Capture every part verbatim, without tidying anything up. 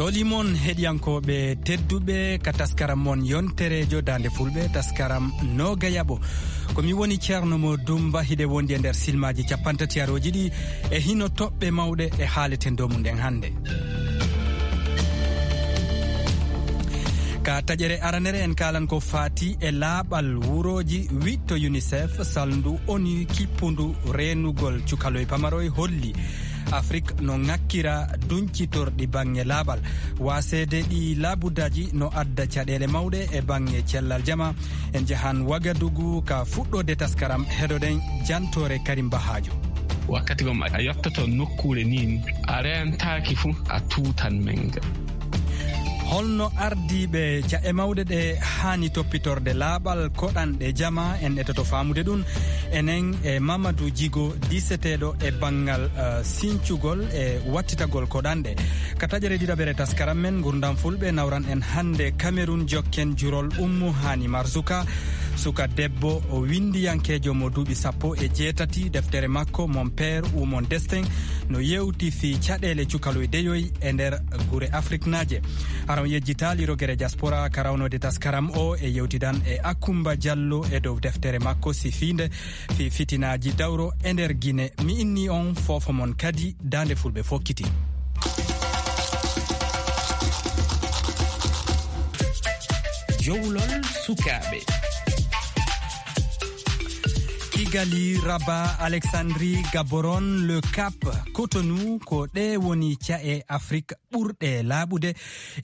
Holimon heɗiyankooɓe tedduɓe ka taskaram mon yontereejo Daande Fulɓe, taskaram Nooga Yaɓo. Ko mi woni Ceerno Mo Dumba, hiɗe wondi e nder silmaaji cappantatiyarooji ɗi e hino toɓɓe mawɗe e haaleten dow mum ɗen hannde. Ka taƴere aranere en kaalan ko faati e laaɓal wurooji. Wiɗto UNICEF, salndu ONU kippundu reenugol cukaloy pamaroy holli Afrik no ŋakkira duñcitorɗi baŋŋe laaɓal. Waaseede ɗi laabuddaaji no adda caɗeele mawɗe e baŋŋe cellal jama. En njahan Wagadugu ka fuɗɗoode taskaram, heɗoɗen jantoore Karim Bahaajo. Wakkati gom a yottoto nokkuure nin, a reentaaki fu, a tuutan menga. Holno ardiiɓe ja'e mawɗe ɗe haani toppitorde laaɓal koɗanɗe jama? En etoto faamude ɗum enen e Mamadou Djigo, diiseteeɗo e banngal, eh, sincugol e wattitagol koɗanɗe. Ka taƴere ɗiɗaɓere taskaram men Ngurdam Fulɓe, nawran en hannde Cameroun, jokken jurol Ummu Hani Marzuka, suka debbo o winndiyankeejo mo duuɓi sappo e jeetati. Deftere makko, Mon Père ou Mon Destin, no yewti fii caɗeele cukaloy deyoy e nder gure Afriknaaje. Aran yejjitaali rogere diaspora ka rawnoode taskaram o e yewtidan e Akumba Diallo e dow deftere makko sifiinde fii fitinaaji dawro e nder Gine. Mi inni on foofo mon kadi Daande Fulɓe fokkiti. Jowlol sukaaɓe. Kigali, Rabat, Alexandrie, Gaborone, Le Cap, Cotonou, ko ɗe woni ca'e Afrik ɓurɗe laaɓude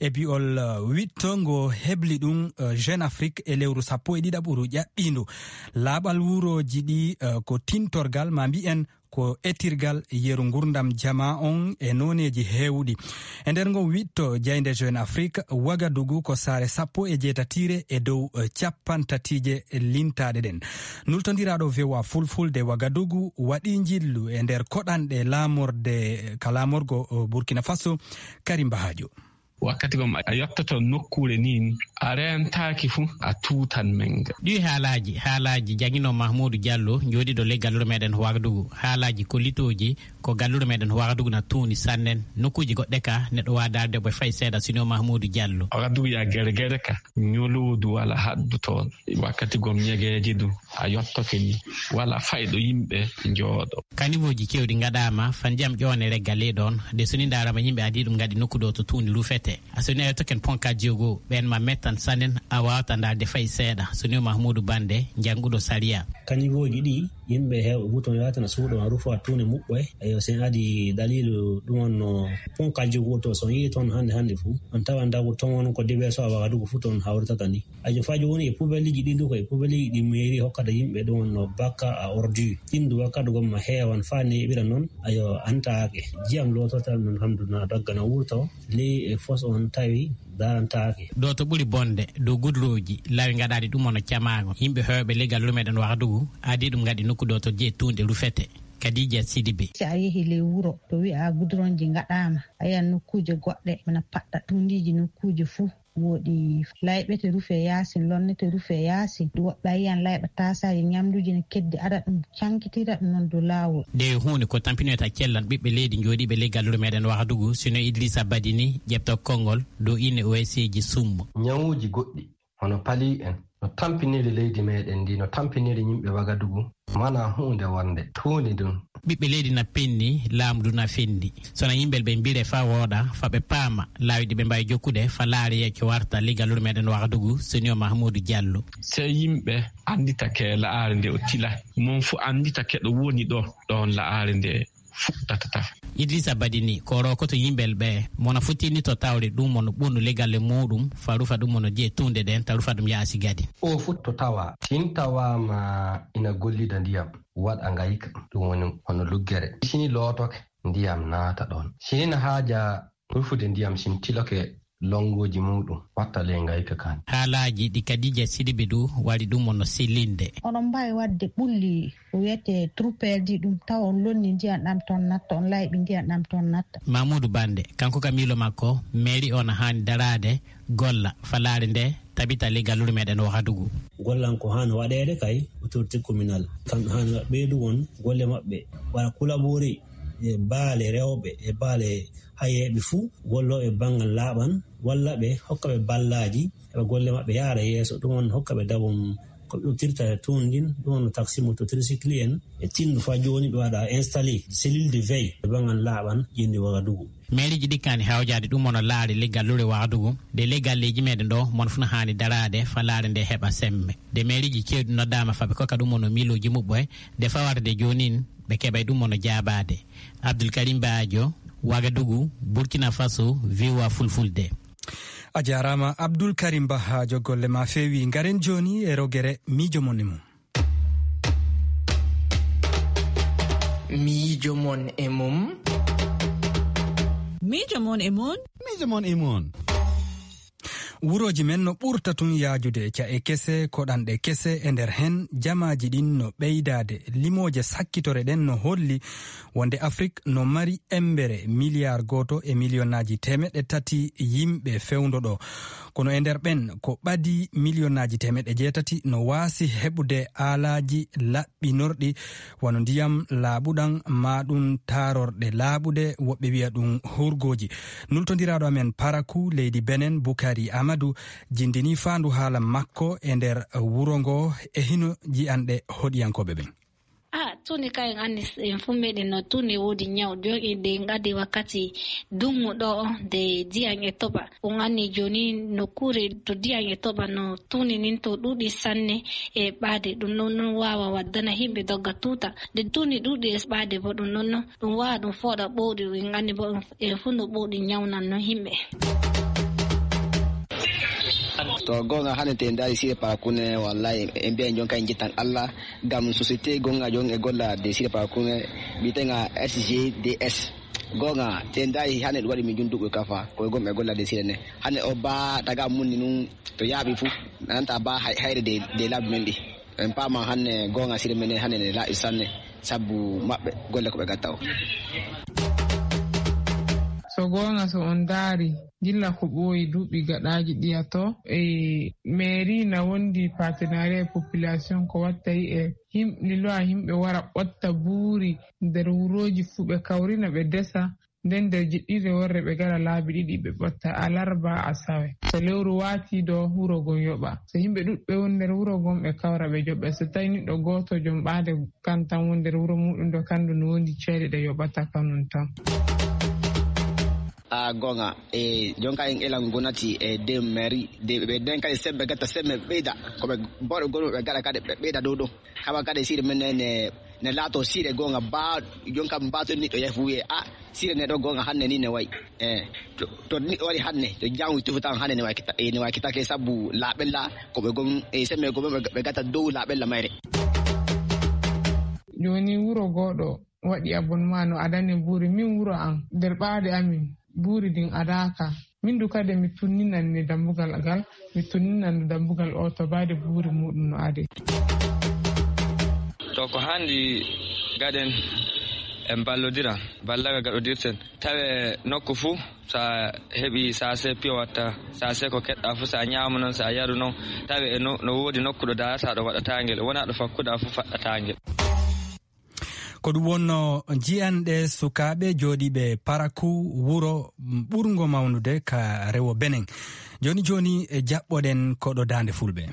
e bi'ol, uh, wiɗto ngo hebli ɗum, uh, Jeune Afrique e lewru sappo e ɗiɗaɓuru ƴaɓɓiindu. Laaɓal wurooji ɗi, uh, ko tintorgal, ma mbi'en ko etirgal yeru ngurdam jamaa on e nooneeji heewuɗi. E nder ngon wiɗto jaynde Jeune Afrique, Wagadugu ko saare sappo e jeetatiire e dow, eh, cappantatiije lintaaɗe ɗen. Nultondiraaɗo V O A Fulfulde Wagadugu waɗi njillu e nder koɗanɗe laamorde, ka laamorgo, eh, Burkina Faso, Karim Bahajo. Wakkati gom a yottoto nokkuure nin, a reentaaki fu, a tuutan menga. Ɗi haalaaji, haalaaji jangino Mahmuudu Diallo, jooɗiiɗo ley gallure meɗen Wagadugu. Haalaaji kollitooji ko gallure meɗen Wagadugu na tuuni sannen. Nokkuuji goɗɗe ka neɗɗo waawi daarde ɓe fay seeɗa sino Mahmuudu Diallo. Wagadugu ya gere gere ka, ñoloodu wala haddu toon. Wakkati gom ñegeeji du, a yottoke ni, wala fayɗo yimɓe njooɗo. Kaniwooji kewɗi ngaɗaama, fa ndiyam ƴoone regga ley ɗoon, de so ni ndaarama yimɓe adii ɗum ngaɗi nokku ɗo to tuundi rufete. A so ni a yottoken ponka jogo, ɓeen ma mettan sanen, a waawata ndaarde fay seeɗa, so ni o Mahmuudu Bande, jannguɗo sariya. Kaniwooji ɗi, yimɓe heewɓe buton yaata na suuɗo, na rufo a tuundi muɓɓoy. Eyo, sen adi daliilu ɗum on no ponka jogo to, so yii toon hannde hannde fu, on tawan dagu toon ko diweso a Wagadugu fu toon hawritata ni. Ajo fajo woni e poubelleji ɗin du, ko e poubelleji ɗi mairie hokkata yimɓe ɗum no bakka à ordure. Ɗin du wakkati gomma heewan faa neeɓira noon, ayo antaake. Jiyam loototal noon hamdu na dagga na wurto, ley e fos on tawi darantaake. Ɗo to ɓuri bonde, dow gudrooji, laawi ngaɗaaɗi ɗum ono camaango. Yimɓe heewɓe ley gallure meɗen Wagadugu, adii ɗum ngaɗi nokku ɗo to jeyi tuunde rufete. Kadija Sidibe. Si a yehi ley wuro to wi'a gudronji ngaɗaama, a yiyan nokkuuje goɗɗe, wona paɗɗa tuundiiji nokkuuje fuu. Woɗi layɓete rufe yaasin, lonnete rufe yaasin. Woɓɓe a yiyan layɓa taasaaji ñamduuji ne keddi, ada ɗum cankitira ɗum noon dow laawol. Nde huunde ko tampinoyta cellal ɓiɓɓe leydi jooɗiiɓe ley gallure meɗen Wagadugu, sino Idrissa Badini ƴeɓta konngol dow ine O S ji summo. Ñawuuji goɗɗi hono pali en no tampiniri leydi meɗen ndi, no tampiniri yimɓe Wagadugu. Mana huunde wonde tuundi ndun. Ɓiɓɓe leydi na penni, laamu ndu na fendi. Sona yimɓe ɓe mbire fa wooɗa, fa ɓe paama, laawi ɗi ɓe mbaawi jokkude, fa laare yecco warta ley gallure meɗen Wagadugu, senior Mahmuudu Diallo. Sey yimɓe anndita ke la'aare nde o tila. Mon fu anndita ke ɗo woni ɗo, ɗon la'aare nde fuɗɗata. Idrissa Badini, ko rokoto yimɓe ɓe, mona futtini to tawre ɗum mono ɓundu ley galle muɗum, fa rufa ɗum mono je tunde ɗen, ta rufa ɗum yaasi gadi. O futto tawa, tin tawama ina gollida ndiyam, waɗa ngayka, ɗum woni hono luggere. Sini lootoke, ndiyam naata ɗon. Sini na haaja rufude ndiyam, sin tiloke lonngoji muɗum, watta ley ngayka kan. Haalaaji ɗi Kadija Sidibe du wari ɗum mono sellinde. Onon mbaawi waɗde ɓulli ko wiyetee trou perdu ɗum, tawa on lonni ndiyam ɗam toon natta, on layɓi ndiyam ɗam toon natta. Mamoudou Bande, kanko ka miilo makko, mairie o na haani daraade, golla, fa laare nde tabita ley gallure meɗen Wagadugu. Gollan ko haani waɗeede kay autorité communale. Kamɓe haani ɓeydu on golle maɓɓe, waɗa collaborer. e baale rewɓe e baale hayeeɓe fuu, gollooɓe banngal laaɓan, walla ɓe hokka ɓe ballaaji, heɓa golle maɓɓe yahra yeeso. Ɗum on hokka ɓe dabon ko ɓe udditata tuun ndin. Ɗum on no taxi moto tricycle en e tindu faa jooni ɓe waɗa installé cellule de veille e banngal laaɓan ƴenndi Wagadugu. Meeriiji ɗikkaani hawjaade ɗum on no laari leggal lure Wagadugu. De leggalleeji meɗen ɗo mon funa haani daraade fa laare nde heɓa semme. De meeriiji ceeɗu noddaama fa ɓe kokka ɗum on no miilooji muɓɓoye. De fawata de joonin ɓe keɓay ɗum on no jaabaade. Abdul Karim Baajo, Wagadugu, Burkina Faso, V O A Fulfulde. A jaaraama Abdul Karim Bahaajo, golle ma feewi. Ngaren jooni e rogere miijo mon e mum. Miijo mon e mum. Miijo mon e mum. Miijo mon e mum. Wurooji men no ɓurta tun yaajude, ca'e kese, koɗanɗe kese e nder hen, jamaaji ɗin no ɓeydaade. Limooje sakkitore ɗen no holli wonde Afrik no mari embere miliyar gooto e miliyonnaaji teemeɗɗe tati yimɓe fewndo ɗo. Kono e nder ɓen, ko ɓadii miliyonnaaji teemeɗɗe jeetati no waasi heɓude aalaaji laɓɓinorɗi, wano ndiyam laaɓuɗam, maa ɗum taarorɗe laaɓuɗe, woɓɓe wi'a ɗum hurgooji. Nultondiraaɗo amen Parakou, leydi Benen, Bukari Amadou, jindinii faandu haala makko e nder wuro ngo e hino ji'anɗe hoɗiyankooɓe ɓen. Ah, tuni ka en anndi, en fuu meɗen no tuni woodi ñaw. Jooni en nde en addi wakkati dungu ɗo, nde diyan e toɓa. On anndi jooni nokkuure to diyan e toɓa no tuni nin to ɗuuɗi sanne e ɓaade. Ɗum ɗon, ɗum waawa waddana yimɓe dogga tuuta. Nde tuni ɗuuɗi e ɓaade bo ɗum ɗon, ɗum waawa ɗum fooɗa ɓowɗi. En anndi bo en fuu no ɓowɗi ñawnan no yimɓe. To goonga, hannde te ndaari Sire Parakune, wallahi, en mbiyan jon kay en jettan Allah. Ngam société gonga jon e golla de Sire Parakune, bi'etenga S G D S. Gonga, te ndaari hannde ɗum waɗi min jun duɓɓe kafa, ko e gom e golla de Sire ne. Hannde o ba taga munni nun to yaaɓi fu, nananta ba hay-, hayre de, de laabi men ɗi. En paama hannde gonga Sire men hannde ne laaɓi sanne, sabbu maɓɓe golle ko ɓe gatta o. So goonga, so on ndaari, gilla ko ɓooyi duuɓi gaɗaaji ɗiya to, e mairie na wondi partenariat e population ko watta e him-, liloa yimɓe wara ɓotta buuri nder wurooji fuu ɓe kawrina ɓe desa. Nden nder jiɗɗirde worre ɓe gara laabi ɗiɗi ɓe ɓotta alarba a sawe. So lewru waati ɗo wuro gon yoɓa. So yimɓe ɗuɗɓe woni nder wuro gon ɓe kawra ɓe joɓɓe. So tawi niɗɗo gooto jom ɓaade kan tan woni nder wuro muɗum ɗo kandu no wondi ceede ɗe yoɓata kanum tan. A gonga e jonka en elan gonati e de mairie de ɓe den kadi sembe gatta sembe ɓeyda ko ɓe bawɗo gonɓe ɓe gaɗa kadi ɓe ɓeyda dow ɗum. Kaba kadi siɗe men ne ne laato siɗe gonga ba jonka mbato niɗɗo yahi fu wiye a siɗe ne ɗo gonga hannde ni ne wayi. E to to niɗɗo wari hannde to jangu tufu tan hannde ne wayi kita e ne wayi kitake sabu laaɓella ko ɓe gom e sembe gom ɓe gatta dow laaɓella mayre. Joni wuro goɗo waɗi abonnement no adani buuri min wuro am nder ɓaade amin buuri din adaka. Min du kadi mi tunninan ni dambugal gal mi tunninan dambugal o to baade buuri muɗum no ade. To ko handi gaɗen en ballodira ballaga gaɗodirten tawe nokku fuu sa heɓi sase piyo watta sase ko keɗɗa fuu sa ñaama noon sa yaru noon tawe e no, no woodi nokku ɗo darata ɗo waɗatangel wona ɗo fakkuɗa fuu faɗɗatangel. Ko ɗum wonno jiyanɗe sukaaɓe jooɗiiɓe Parakou wuro ɓurngo mawnude ka rewo Benin. Jooni jooni e jaɓɓoɗen koɗo daande fulɓe.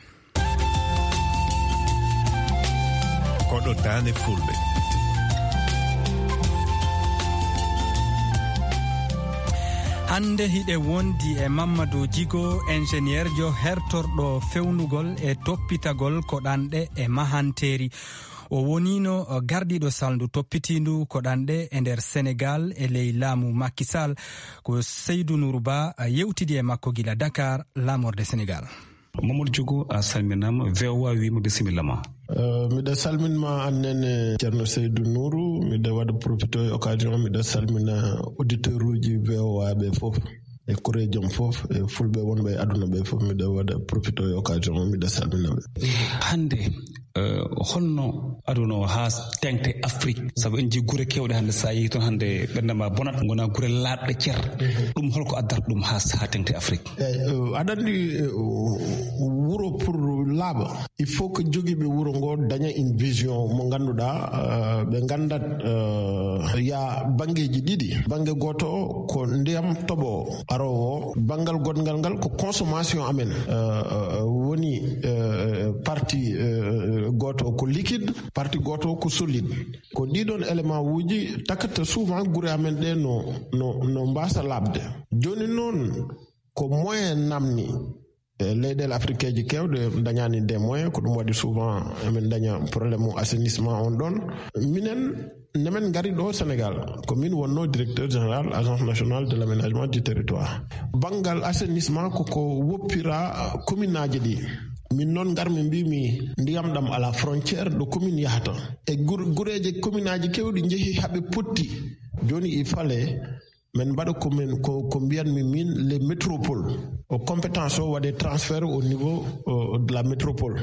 Koɗo daande fulɓe. Hannde hiɗe wondi e Mamadou Djigo, ingénieur jo hertorɗo fewnugol e toppitagol ko ɗanɗe e mahanteeri. O woniino gardiiɗo salndu toppitiindu ko ɗanɗe e nder Senegal e ley laamu Macky Sall. Ko Seydou Nourou Ba yewtidi e makko gila Dakar, laamorde Senegal. Mamadou Diogo a salminama V O A wima bisimilla ma. Eh, miɗa salminma annene Ceerno Seydou Nourou, miɗa waɗa profito e occasion miɗa salmina auditeur uji V O A ɓe fof e koreejom fof e fulɓe wonɓe e aduna ɓe fof miɗa waɗa profito e occasion o miɗa salmina ɓe. Hannde Eh, holno aduna o haa teŋte Afrique? Sabu en njii gure keewɗe hannde, so a yehii toon hannde, ɓernde ma bonat, ngona gure laaɓɗe cer. Ɗum holko addata ɗum haa, haa teŋte Afrique? Eyi, eh, aɗa anndi, eh, wuro pour laaɓa, il faut que jogiiɓe wuro ngo daña une vision mo ngannduɗaa, eh, ɓe nganndat, eh, ya banngeeji ɗiɗi. Bannge gooto o ko ndiyam toɓo aroowo, banngal goɗngal ngal ko consommation amen, eh, eh, woni, eh, partie, eh, gooto o ko liquide, partie gooto o ko solide. Ko ɗiɗon élément uji takkata souvent gure amen ɗe no, no, no mbaasa laaɓde. Jooni noon, ko moyen namni. E leyɗeele afrikeeji keewɗe dañaani des moyens, ko ɗum waɗi souvent emin daña problème mu assainissement on ɗon. Minen, nemen ngari ɗo Sénégal, ko min wonno directeur général Agence nationale de l'aménagement du territoire. Banngal assainissement ko ko woppira commune aji ɗi. Min noon ngarmi mbimi ndiyam ɗam ala frontière ɗo commune yahata. E gur-, gureeje commune aji keewɗi njehi haɓe potti. Jooni il fallait min mbaɗa ko min, ko, ko mbiyanmi min les métropoles. O compétence o waɗe transfert au niveau, euh, de la métropole.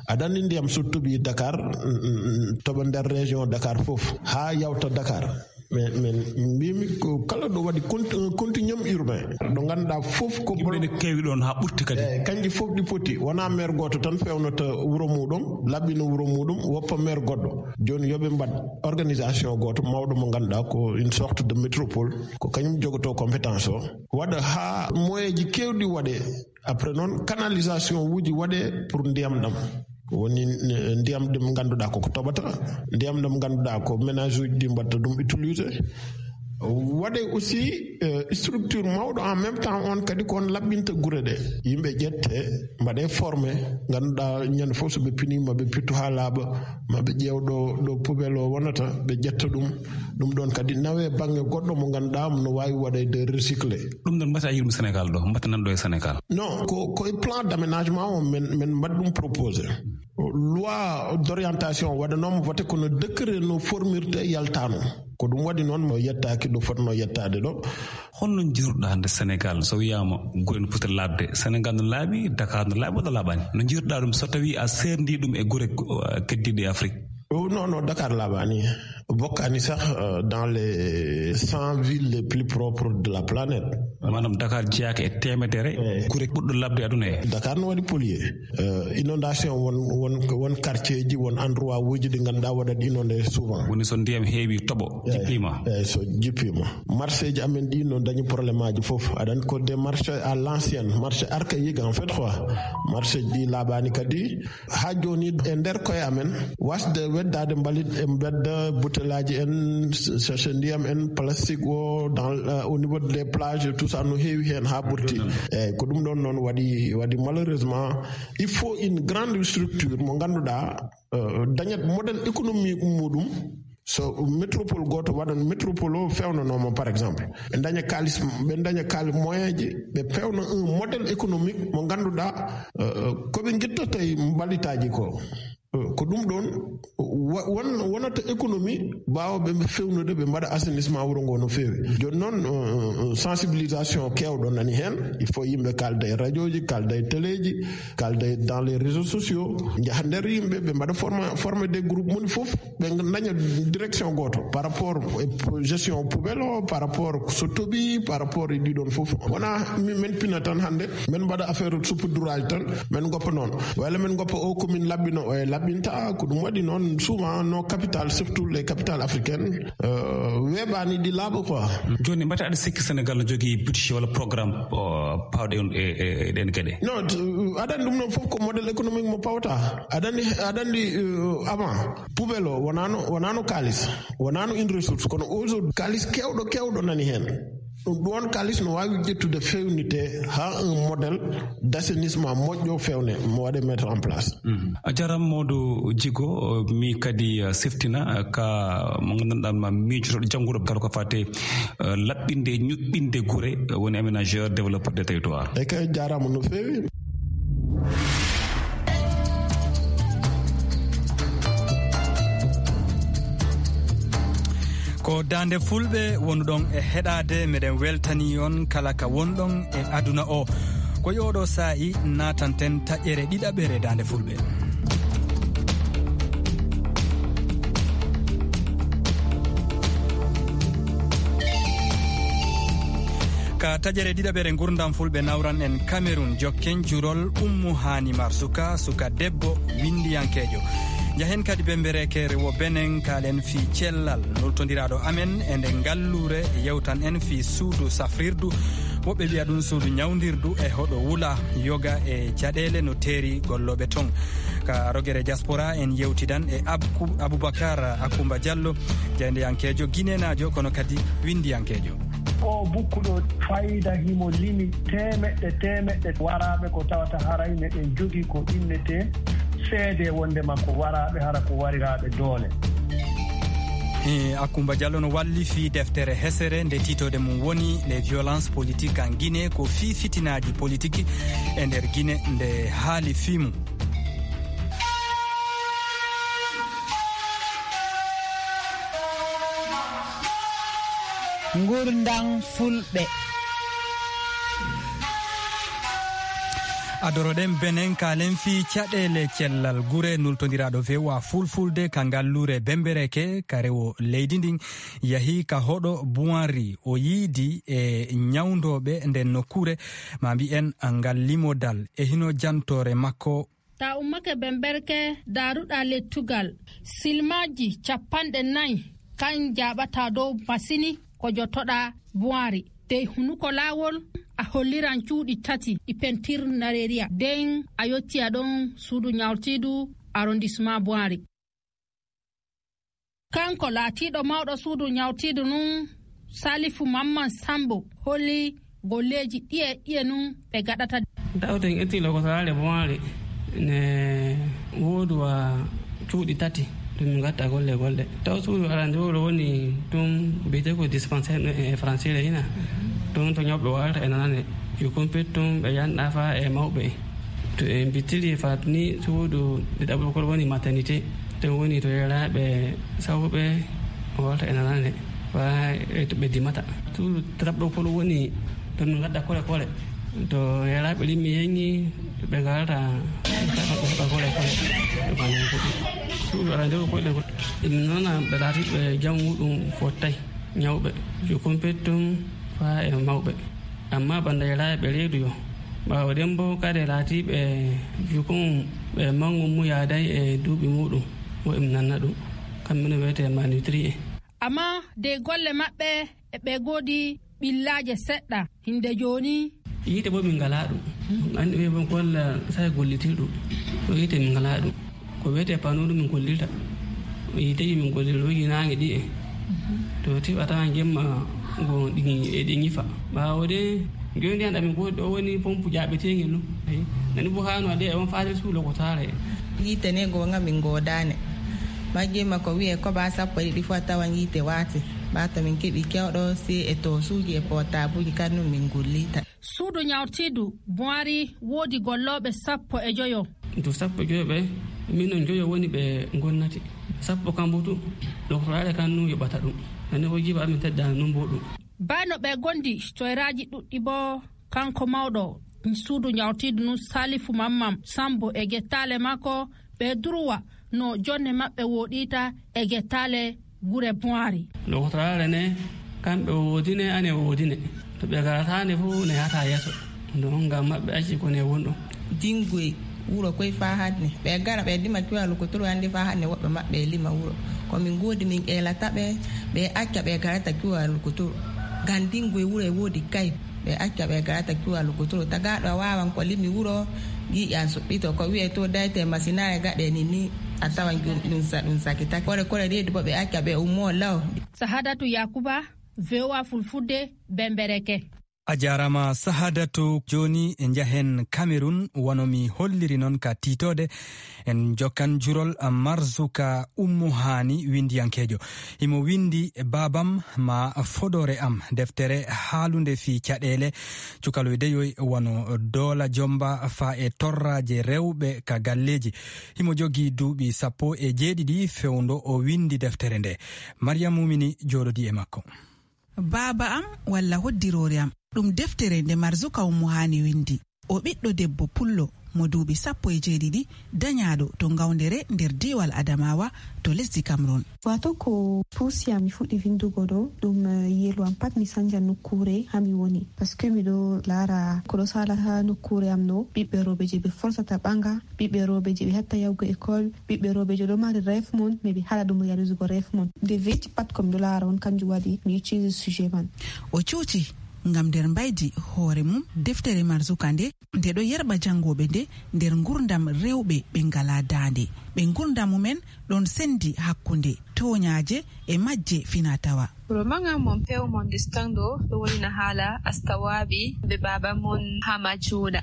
Aɗa anndi ndiyam so toɓi Dakar, mm, mm, mm, toɓa nder région Dakar fof, haa yawta Dakar. Min, min mbimi ko kala ɗo waɗi conti-, un continuum urbain. Ɗo ngannduɗaa fof ko yimɓe bolo- ne keewi ɗon haa ɓurti kadi. Eyi, kanji fof ɗi poti. Wonaa maire gooto tan fewnata wuro muɗum, laɓɓina wuro muɗum, woppa maire goɗɗo. Jooni yo ɓe mbaɗ organisation gooto mawɗo mo ngannduɗaa ko une sorte de métropole. Ko kañum jogoto compétence o. Waɗa haa moyeeji keewɗi waɗe. Après noon, canalisation uji waɗe pour ndiyam ɗam. Woni, eh, ndiyam ɗam ngannduɗaa ko ko toɓata, ndiyam ɗam ngannduɗaa ko ménage uji ɗi mbaɗta ɗum utiliser. Waɗe aussi, eh, structure mawɗo en même temps on kadi ko on laɓɓinta gure ɗe. Yimɓe ƴette, mbaɗe formé, ngannduɗaa ñande fof so ɓe pini ma ɓe pittu haa laaɓa, ma ɓe ƴeew ɗo, ɗo poubelle o wonata, ɓe ƴetta ɗum. Ɗum ɗon kadi nawe bannge goɗɗo mo ngannduɗaa no waawi waɗeede recyclé. Ɗum ɗon mbata yiɗum Sénégal ɗo, mbata nan ɗo e Sénégal. Non, ko, ko e plan d'aménagement o men, men mbaɗi ɗum proposé. Loi d'orientation waɗanooma voté kono décret no formirte yaltaano. Ko ɗum waɗi noon mo yettaaki ɗo fotno yettaade ɗo. Holno njiiruɗaa hannde Sénégal so wiyaama gure no poti laaɓde? Sénégal no laaɓi, Dakar no laaɓi walla laaɓaani? No njiiruɗaa ɗum so tawii a seerndii ɗum e gure, uh, keddiiɗe e Afrique? Oh, non, non, Dakar laaɓaani. Bokkaani sax, euh, dans les cent villes les plus propres de la planète. Maanaam Dakar jeyaaka e teemedere, eyi, gure ɓurɗo laaɓde aduna he. Dakar no waɗi pollué. Euh, inondation won, won, won quartier ji, won endroit uji ɗi ngannduɗaa waɗat inondé souvent. Woni so ndiyam heewi toɓo, eyi, jippiima. Eyi, so jippiima. Marché ji amen ɗi no dañi problème aji fof. Aɗa anndi ko des marchés à l'ancienne, marché archaïque en fait quoi. Marché ji ɗi laaɓaani kadi. Haa jooni, e nder koye amen, wasde weddaade mbalit e mbedda, butellaaji en, sachet ndiyam en, plastique o, dans, euh, au niveau des plages, tout ça, no heewi heen haa ɓurti. Eyi, ko ɗum ɗon noon waɗi, waɗi malheureusement, il faut une grande structure mo ngannduɗaa, euh, dañat modèle économique muɗum. So métropole gooto waɗan métropole o fewnanooma, par exemple, ɓe daña kaalis, ɓe daña kaalis moyen ji, ɓe pewna un modèle économique mo ngannduɗaa, euh, ko ɓe ngittata e mbalitaaji ko. Euh, ko ɗum ɗon wa-, won-, wonata économie baawɓe ɓe fewnude, ɓe mbaɗa assainissement wuro ngo no feewi. Jooni noon, euh, euh, sensibilisation keewɗo nani heen. Il faut yimɓe kaalda e radio ji, kaalda e télé ji, kaalda e dans les réseaux sociaux, njaha nder yimɓe, ɓe mbaɗa forma-, former des groupes, moni fof ɓe daña direction gooto par rapport e po-, gestion poubelle o, par rapport so toɓi, par rapport e ɗiɗon fof. Wona mi-, men pina tan hannde, men mbaɗa affaire saupoudrage tan, men goppa noon. Walla men goppa o commune laɓɓino, o e laɓɓinta, ko ɗum waɗi noon souvent nos capitales, surtout les capitales africaines, euh, weeɓaani ɗi laaɓa quoi. Jooni, mbata aɗa sikki Sénégal no jogii budget walla programme, euh, pawɗe on e, e, e ɗen geɗe? Non, t-, aɗa anndi ɗum ɗon fof ko modèle économique mo pawta. Aɗa anndi, aɗa anndi, euh, avant, poubelle o wonaano, wonaano kaalis, wonaano une ressource, kono aujourd'hui kaalis keewɗo, keewɗo nani heen. Ɗum ɗon kaalis no waawi ƴettude fewnite haa un modèle d'assainissement moƴƴo fewne mo waɗe mettre en place. Mhm. A jaaraama Modou Djigo, mi kadi, uh, seftina, uh, ka mo ngannduɗaa ma miijotoɗo jannguɗo kala ko fate, uh, laɓɓinde e ñuɓɓinde gure, uh, woni aménageur développeur des territoires. E kay jaaraama no feewi. Ko Daande Fulɓe wonuɗon e heɗaade, meɗen weltani on kala ka wonɗon e aduna o. Ko e oɗo saa'i naatanten taƴere ɗiɗaɓere Daande Fulɓe. Ka taƴere ɗiɗaɓere ngurndam fulɓe nawran en Cameroun, jokken jurol Ummu Haani Marzuka, suka debbo winndiyankeejo. Njahen kadi Bembereeke, rewo Benin, kaalen fii cellal. Nultondiraaɗo amen e nde ngalluure yewtan en fii suudu safrirdu. Woɓɓe wi'a ɗum suudu ñawndirdu e hoɗo wula yoga e caɗeele no teeri gollooɓe ton. Ka rogere diaspora en yewtidan e Abku-, Abubakar Akumba Diallo, jaayndeyankeejo ginenaajo kono kadi winndiyankeejo. O bukku ɗo fayda himo limi temeɗɗe, temeɗɗe waraaɓe ko tawata haray meɗen jogii ko innetee seede wonde makko waraaɓe hara ko wariraaɓe doole. E, Akumba Diallo no walli fii deftere hesere nde tiitode mum woni Les violences politiques en Guinée, ko fii fitinaaji politiki e nder Guinée nde haali fii mum. Ngurndam fulɓe. Adoroɗen Benin, kaalen fii caɗeele cellal gure. Nultondiraaɗo V O A Fulfulde ka ngalluure Bembereeke ka rewo leydi ndin yahi ka hoɗo Buwanri. O yiidi e ñawndooɓe nden nokkuure, ma mbi'en ngal limodal. E hino jantoore makko. Ta ummake Bemberke, daaruɗaa lettugal, silmaaji capanɗe nayi kan jaaɓataa dow masini ko jotoɗaa Buwaari. Dey hunuko laawol, a holliran cuuɗi tati ɗi pentir nareeriya. Den a yottiya ɗon suudu ñawtiidu arrondissement Buwaari. Kanko laatiiɗo mawɗo suudu ñawtiidu nun, Salifu Mamman Sambo, holli golleeji ɗiye ɗiye nun ɓe gaɗata. Tawten etti lokotoraare Buwaari ne woodi wa cuuɗi tati ɗum min gatta golle golle. Taw suudu arande wuro woni ɗum biyete ko dispensaire e français le ina. Ɗum to ñawɓe warata e nanane. Yo kumpit ɗum ɓe yanɗa fa e mawɓe. To en bittiri fat ni suudu ɗiɗaɓo kol woni maternité. Ɗum woni to yeraaɓe sawɓe warata e nanane. Fa e to ɓe dimata. Suudu tataɓo kol woni to min gadda kole kole. To yeraaɓe limmi yengi ɓe garata ɓe heɓa kole kole. Suudu arande ko koɗe ko. Ɗum nana ɓe laati ɓe jam muɗum fottay ñawɓe. Yo kumpit ɗum fa e mawɓe. Amma banda yeraaɓe reedu yo. Ɓaawo ɗen bo kade laatiiɓe jukun ɓe mangu mu yaaday e duuɓi muɗum. Wo em nanna ɗum. Kamɓe no wiyete malnutri en. Amma dey golle maɓɓe e ɓe goodi ɓillaaje seɗɗa hinde jooni. Yiite bo min ngalaa ɗum. Ɗum anndi ɓe bon golla say gollitirɗum. Ko yiite min ngalaa ɗum. Ko wiyetee panneau ɗum min gollirta. Yiiteeji min gollirta ɗo yinaange ɗi en. To tiɓa tawan jemma go ɗi, e ɗi ñifa. Ɓaawo de, jooni ndiyan ɗam min goodi ɗo woni pompe jaaɓeteengel ɗum. Ayi, nani bo haano ade e on faade suulo ko taara en. Yiite ne go nga min goodaane. Majjimma ko wi'e ko ba sappo e ɗiɗi fu a tawan yiite waati. Ba to min keɓi kewɗo si e toosuuji e pootabuuji kan nun min gollirta. Suudu ñawtiidu Buwaari woodi gollooɓe sappo e joyo. To sappo e joyo ɓe, min non joyo woni ɓe gonnati. Sappo kambo tu, ɗo ko faade kan nun yoɓata ɗum. Nani ko jiba amin teddaani nun bo ɗum. Bano ɓe gondi toyraaji ɗuɗɗi bo, kanko mawɗo suudu ñawtiidu nun Salifu Mamman Sambo e gettaale makko, ɓe durwa no jonne maɓɓe wooɗiita e gettaale gure Buwaari. Lokotoraare ne, kamɓe woodine, ane woodine. To ɓe garataane fu ne hata yeeso. Ɗum ngam maɓɓe acci ko ne wonɗo. Dingoy wuro koy faa hanne. Ɓe gara ɓe dima cuwa lokotoro hande faa hanne woɓɓe maɓɓe e lima wuro. Ko min goodi min eelata ɓe, ɓe acca ɓe garata cuwa lokotoro. Ngam dingoy wuro e woodi kay. Ɓe acca ɓe garata cuwa lokotoro. Tagaaɗo a waawan ko limi wuro, giiƴan suɓɓito. Ko wi'e to dayte masinaare gaɗe ni ni, a tawan ɗum, ɗum sa-, ɗum sakitake. Kore kore reedu bo ɓe acca ɓe ummoo law. Sahadatu Yakuba, V O A Fulfulde, Bembereke. A jaaraama Sahadatu. Jooni njahen Cameroun, wano mi holliri non ka tiitoode. En jokkan jurol Marzuka Ummu Haani, winndiyankeejo. Himo winndi Baabam ma fodoore am, deftere haalunde fii caɗeele cukaloy deyoy wano doola jomba faa e torraaje rewɓe ka galleeji. Himo jogii duuɓi sappo e jeeɗiɗi fewndo o winndi deftere nde. Mariam Mumini jooɗodii e makko. Baaba am walla hoddiroore am. Ɗum deftere nde Marzuka Ummu Haani winndi. O ɓiɗɗo debbo pullo mo duuɓi sappo e jeeɗiɗi, dañaaɗo to Ngawndere nder diiwal Adamawa to lesdi Cameroun. Wato ko puusi am mi fuɗɗi vindugo ɗo, ɗum, eh, yeru am pat mi sanja nokkuure ha mi woni. Parce que miɗo laara ko ɗo sala ha nokkuure am ɗo, ɓiɓɓe rooɓe je ɓe forsata ɓanga, ɓiɓɓe rooɓe je ɓe hatta yahugo école, ɓiɓɓe rooɓe je ɗo mari rêve mum, mais ɓe haɗa ɗum réaliser go rêve mum. Nde veti pat ko miɗo laara on, kanjum waɗi mi utilise sujet man. O cuuci ngam nder mbaydi hoore mum deftere Marzuka nde, nde ɗo yerɓa janngooɓe nde nder ngurndam rewɓe ɓe ngalaa daande. Ɓe ngurndam mumen ɗon senndi hakkunde tooñaaje e majje finaa-tawaa. Roman am Mon Père Mon Destin ɗo, ɗo wolina haala Astawaabi be baaba mon Hama Jooɗa.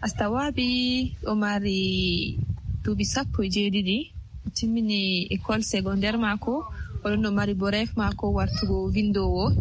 Astawaabi ɗo mari duuɓi sappo e jeeɗiɗi, o timmini école secondaire maako, o ɗon no mari bo rêve maako wartugo vindoowo.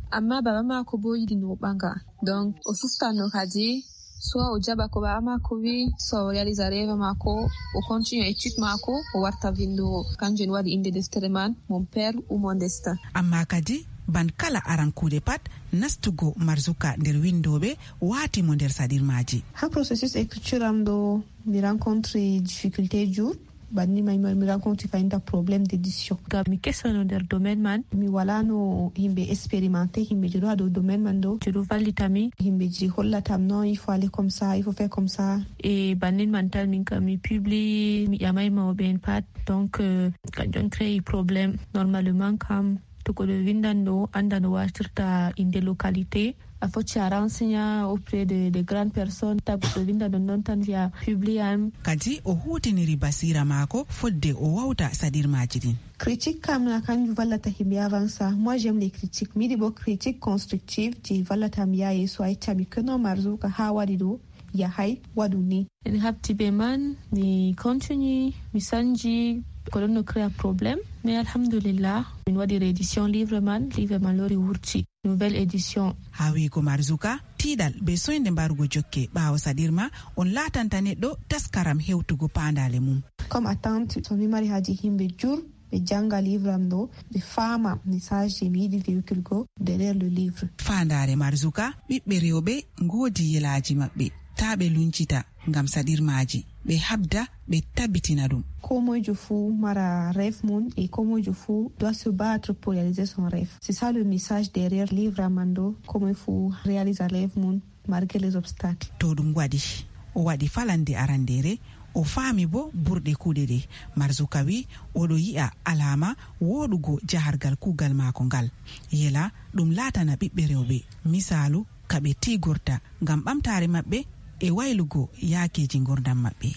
Amma baaba maako bo yiɗi no o ɓanga. Donc, o sustano kadi, soit o jaɓa ko baaba maako wi, soit o réalisa rêve maako, o continue étude maako, o warta vindoowo. Kanjum en waɗi innde deftere man, Mon Père ou Mon Destin. Amma kadi, ban kala aran kuuɗe pat, nastugo Marzuka nder windooɓe waati mo nder saɗirmaaji. Ha processus écriture am ɗo, mi rencontre difficulté jur. Banni may mi rencontre fayinta problème d'édition. Ngam mi kesano nder domaine man. Mi walano himɓe expérimenté, himɓe je ɗo ha dow domaine man ɗo, je ɗo vallita mi. Himɓe je hollata am non, il faut aller comme ça, il faut faire comme ça. E bannin man tan min kam mi publie, mi ƴamay mawɓe en pat. Donc, euh, kanjum on créé problème. Normalement kam, to goɗɗo windanɗo, anda no wartirta inde localité. A foti a renseigna auprès de, de grandes personnes, ta goɗɗo winda ɗon ɗon tan wiya publie am. Kadi o huutiniri basiira maako fodde o wawta saɗirmaaji ɗin. Critique kam na kanjum vallata himɓe avansa. Moi, j'aime les critiques. Mi yiɗi bo critique constructive je vallata mi yaha yeeso, a yecca mi que non, Marzuka ha waɗi ɗo, yahay, waɗu ni. En habti be man, mi continue, mi sanji, ko ɗon no créa problème. Mais alhamdulillah, min waɗi réédition livre man, livre man lori wurti. Nouvelle édition. Haa wi'go Marzuka, tiiɗal be soynde mbarugo jokke ɓaawo saɗirma on laatanta neɗɗo taskaram hewtugo paandaale mum. Comme attente, to mi mari haaje himɓe jur, ɓe janga livre am ɗo, ɓe faama message je mi yiɗi véhicule go derrière le livre. Faandaare Marzuka, ɓiɓɓe rewɓe ngoodi yelaaji maɓɓe, taa ɓe luncita ngam saɗirmaaji, ɓe habda, ɓe tabitina ɗum. Ko moyjo fuu mara rêve mum et ko moyjo fuu doit se battre pour réaliser son rêve. C'est ça le message derrière livre am ɗo, ko moy fuu réalisa rêve mum malgré les obstacles. To ɗum waɗi, o waɗi falande arandeere, o faami bo burɗe kuuɗe ɗe. Marzuka wi, oɗo yi'a alaama wooɗugo jahargal kuugal maako ngal. Yela ɗum laatana ɓiɓɓe rewɓe misaalu ka ɓe tiigorta ngam ɓamtaare maɓɓe e waylugo yaakeeji ngurndam maɓɓe.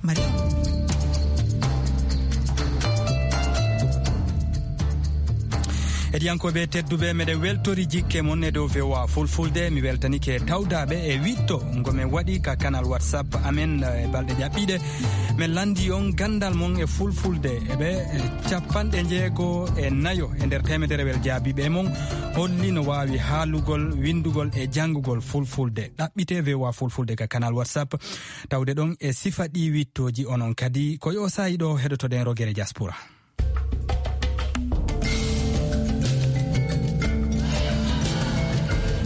Mari. Heɗiyankooɓe tedduɓe, meɗen weltori jikke mon e dow V O A Fulfulde. Mi weltanike tawdaaɓe e wiɗto ngo men waɗi ka kanal WhatsApp amen, eh, e balɗe ƴaɓɓiiɗe. Men lanndi on ganndal mon e Fulfulde. E ɓe, eh, capanɗe njeego e nayo e nder teemederewel jaabiiɓe e mon holli no waawi haalugol, winndugol e janngugol Fulfulde. Ɗaɓɓite V O A Fulfulde ka kanal WhatsApp. Tawde ɗon e sifa ɗi wittooji, onon kadi ko yo saa'i ɗo heɗotoɗen rogere diaspora.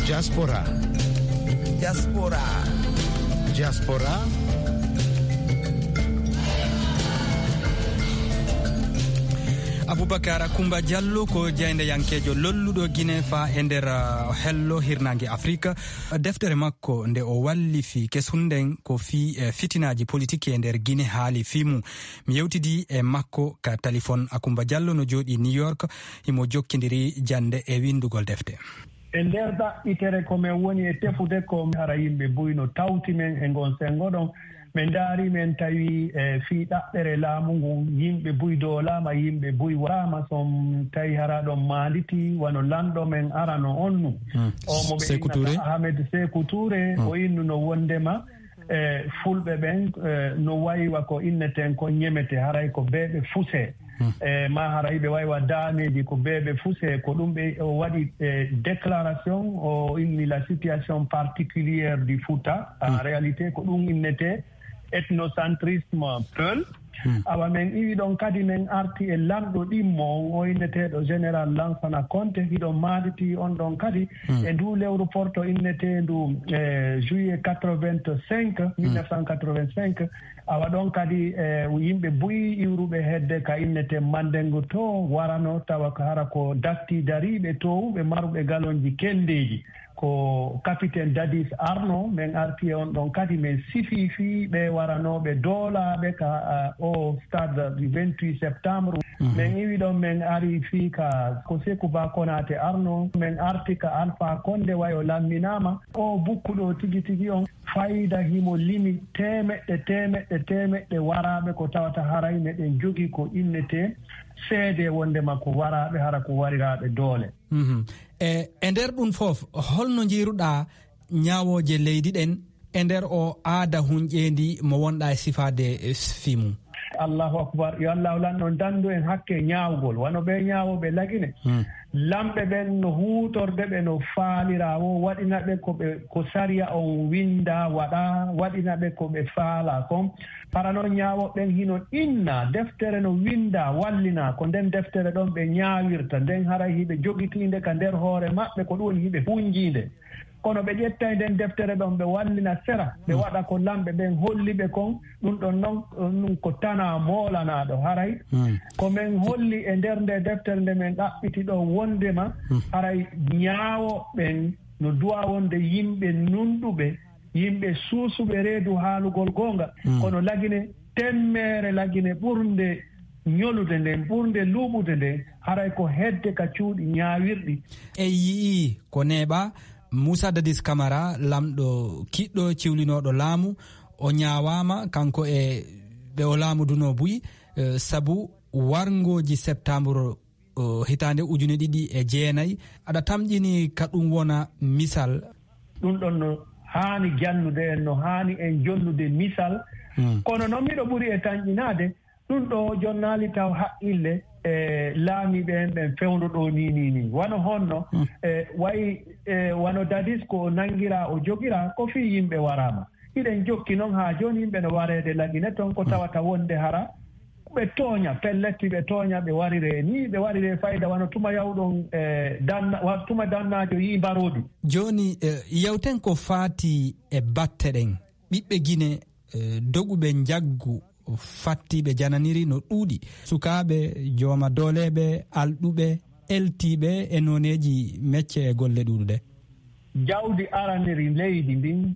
Diaspora. Diaspora. Diaspora. Abubakar Kumba Jallo ko jaayndeyankeejo lolluɗo Gine faa e nder, uh, hello hirnaange Afrika. Deftere makko nde o wallifi kesun nden ko fii, eh, fitinaaji politiki e nder Gine haali fii mum. Mi yewtidi e makko ka talifon. Akumba Jallo no jooɗii New York, himo jokkindiri jannde e winndugol defte. E nder ɗaɓɓitere ko men woni e tefude ko hara yimɓe buy no tawti men e ngon senngo ɗon. Ɓe ndaari men tawi, eh, fii ɗaɓɓere laamu ngun, yimɓe buy doolaama, yimɓe buy waraama, son tawi hara ɗon maanditi, wano lanɗo men arano on nu. Hmm. O mo ɓe Sekou innata Touré. Ahmed Sekou Touré, hmm, o innuno wondema, eh, fulɓe ɓen, eh, no waywa ko inneten ko ñemete, haray ko beeɓe fuse. Hmm. Eh, ma haray ɓe waywa daameeji ko beeɓe fuse, ko ɗum ɓe o waɗi, eh, déclaration, o inni la situation particulière du Fouta. En, hmm, réalité, ko ɗum innete ethnocentrisme peul. Awa men iwi ɗon kadi men arti e lanɗo ɗimmo on, o inneteeɗo Général Lansana Conté, hiɗon maanditi on ɗon kadi e ndu lewru porto inneteendu, eh, juillet quatre-vingt-cinq, mille neuf cent quatre-vingt-cinq. Awa ɗon kadi, eh, yimɓe buy iwruɓe hedde ka innete Mandengo to warano, tawa ko hara ko datti dariiɓe towuɓe maruɓe galonji keldeeji. Ko Capitaine Dadis Arno, men arti e on ɗon kadi men sifi fii ɓe waranooɓe doolaaɓe ka, ah, o stade du vingt-huit septembre. Men iwi ɗon men ari fii ka ko Seku Ba Konate Arno, men arti ka Alpha Condé wayo lamminaama. O bukkuɗo tigi tigi on fayda himo limi temeɗɗe, temeɗɗe, temeɗɗe waraaɓe ko tawata haray meɗen jogi ko innete seede wondema ko waraaɓe hara ko wariraaɓe doole. Mhm. E, e nder ɗum fof, holno njiiruɗaa ñaawooje leydi ɗen e nder o aada hunƴeendi mo wonɗaa e sifaade, e, fii mum? Allahu akbar. Yo Allahu lanɗo dandu en hakke ñaawgol. Wano ɓe ñaawooɓe Lagine. Lamɓe ɓen no huutorde ɓe no faalira wo waɗina ɓe ko ɓe, ko sariya on winda waɗa, waɗina ɓe ko ɓe faala kon. Hara non ñaawooɓe ɓen hino inna, deftere no winda, wallina, ko nden deftere ɗon ɓe ñaawirta. Nden haray hiɓe jogitiinde ka nder hoore maɓɓe, ko ɗum woni hiɓe hunjiinde. Kono ɓe ƴettay nden deftere ɗon, ɓe wallina sera, ɓe waɗa ko lamɓe ɓen holli ɓe kon. Ɗum ɗon non, ɗum ko tanaa moolanaaɗo. Haray ko men holli e nder nde deftere nde men ɗaɓɓiti ɗo wondema haray ñaawooɓe ɓen no duwa wonde yimɓe nunɗuɓe, yimɓe suusuɓe reedu haalugol goonga. Kono Lagine, temmeere Lagine ɓurnde ñolude nden, ɓurnde luuɓude nden, haray ko hedde ka cuuɗi ñaawirɗi. En yi'ii ko neeɓaa Moussa Dadis Camara, lamɗo kiɗɗo ciwlinooɗo laamu, o ñaawaama kanko e ɓe o laamudunoo buy, eh, sabu warngooji septembre, eh, hitaande ujune ɗiɗi e jeenayi. Aɗa tamƴini ka ɗum wona misal? Ɗum ɗon no haani jannude en, no haani en jonnude misal. Kono noon miɗo ɓuri e tanƴinaade, ɗum ɗo jonnaali taw haqqille e laamiiɓe en ɓen fewndo ɗo ni, ni, ni. Wano honno, e, wayi, e, wano Dadis ko o nanngiraa, o jogiraa, ko fii yimɓe waraama. Hiɗen jokki noon haa jooni yimɓe no wareede Lagine toon ko tawata wonde hara ɓe tooña, pelletti ɓe tooña, ɓe warire ni, ɓe warire fayda wano tuma yawɗon, e, danna-, wa-, tuma dannaajo yii mbaroodi. Jooni, e, yewten ko faati e batte ɗen. Ɓiɓɓe Gine, e, doguɓe njaggu fattiiɓe jananiri no ɗuuɗi. Sukaaɓe, jooma dooleeɓe, alɗuɓe, eltiiɓe e nooneeji mecce e golle ɗuuɗuɗe. Jawdi araniri leydi ndin,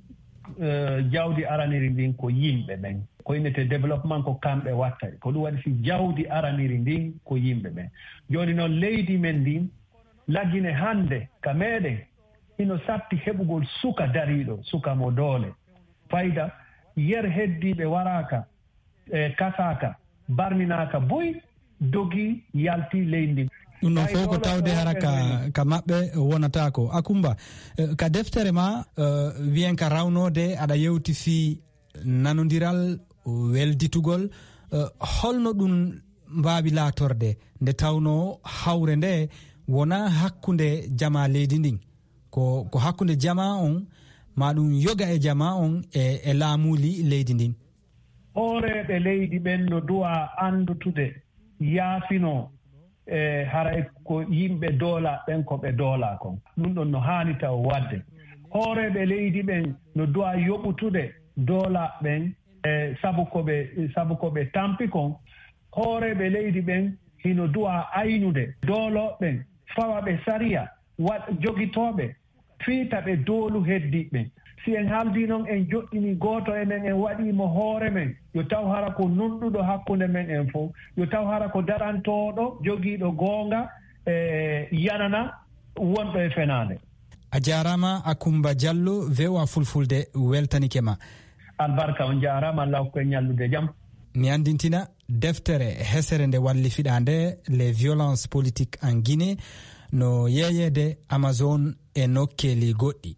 e, jawdi araniri ndin ko yimɓe ɓen. Ko innete développement ko kamɓe watta. Ko ɗum waɗi si jawdi araniri ndin ko yimɓe ɓen. Jooni noon leydi men ndin, Lagine hannde ka meɗen, hino satti heɓugol suka dariiɗo, suka mo doole. Fayda, yer heddiiɓe waraaka, e, kasaaka, barminaaka buy, dogi, yalti leydi ndin. Ɗum ɗon fof ko tawde hara ka, ka maɓɓe wonataako. Akumba, eh, ka deftere ma, eh, wiyen ka rawnoode, aɗa yewti fii nanondiral, welditugol, eh, holno ɗum mbaawi laatorde nde tawnoo hawre nde wonaa hakkunde jamaa leydi ndin? Ko, ko hakkunde jamaa on, maa ɗum yoga e jamaa on e, e laamuuli leydi ndin. Hooreeɓe leydi ɓen no duwaa anndutude, yaafinoo, e haray ko yimɓe doolaaɓe ɓen ko ɓe doolaa kon. Ɗum ɗon no haani taw waɗde. Hooreeɓe leydi ɓen no duwaa yoɓutude doolaaɓe ɓen, e sabu ko ɓe, sabu ko ɓe tampi kon. Hooreeɓe leydi ɓen hino duwaa aynude doolooɓe ɓen, fawa ɓe sariya, waɗ-, jogitooɓe, fiita ɓe doolu heddiiɓe ɓen. Si en haaldii non, en joɗɗinii gooto e men, en waɗii mo hoore men, yo taw hara ko nunɗuɗo hakkunde men en fof, yo taw hara ko darantooɗo, jogiiɗo goonga, e yanana wonɗo e fenaande. A jaaraama, Akumba Jallo, V O A Fulfulde weltanike ma. Albarka, on jaaraama, Allah hokku en ñallude jam. Mi anndintina, deftere hesere nde wallifiɗaa nde, Les violences politiques en Guinée, no yeeyeede Amazon e nokkeeli goɗɗi.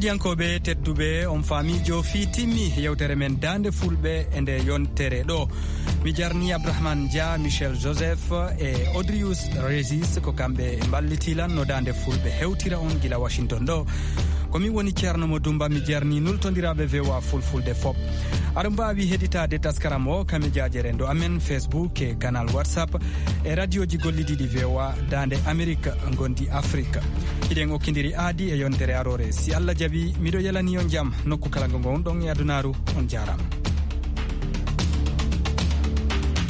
Yankooɓe tedduɓe, on faami joofi timmi yewtere men Daande Fulɓe e nde yontere ɗo. Mi jarni Abdourahmane Dia, Michel Joseph e Odrius Régis, ko kamɓe mballiti lan no Daande Fulɓe hewtira on gila Washington ɗo. Ko min woni Ceerno Mo Dumba, mi jarni nultondiraaɓe V O A Fulfulde fop. Aɗa mbaawi heɗitaade taskaram o ka mejaaji renndo amen, Facebook e kanal WhatsApp e radioji gollidiiɗi V O A Daande Amerik ngondi Afrik. Hiɗen okkindiri aadi e yontere aroore. Si Allah jaɓi, miɗo yelani on jam nokku kala ngo ngonɗon e adunaaru. On jaaraama.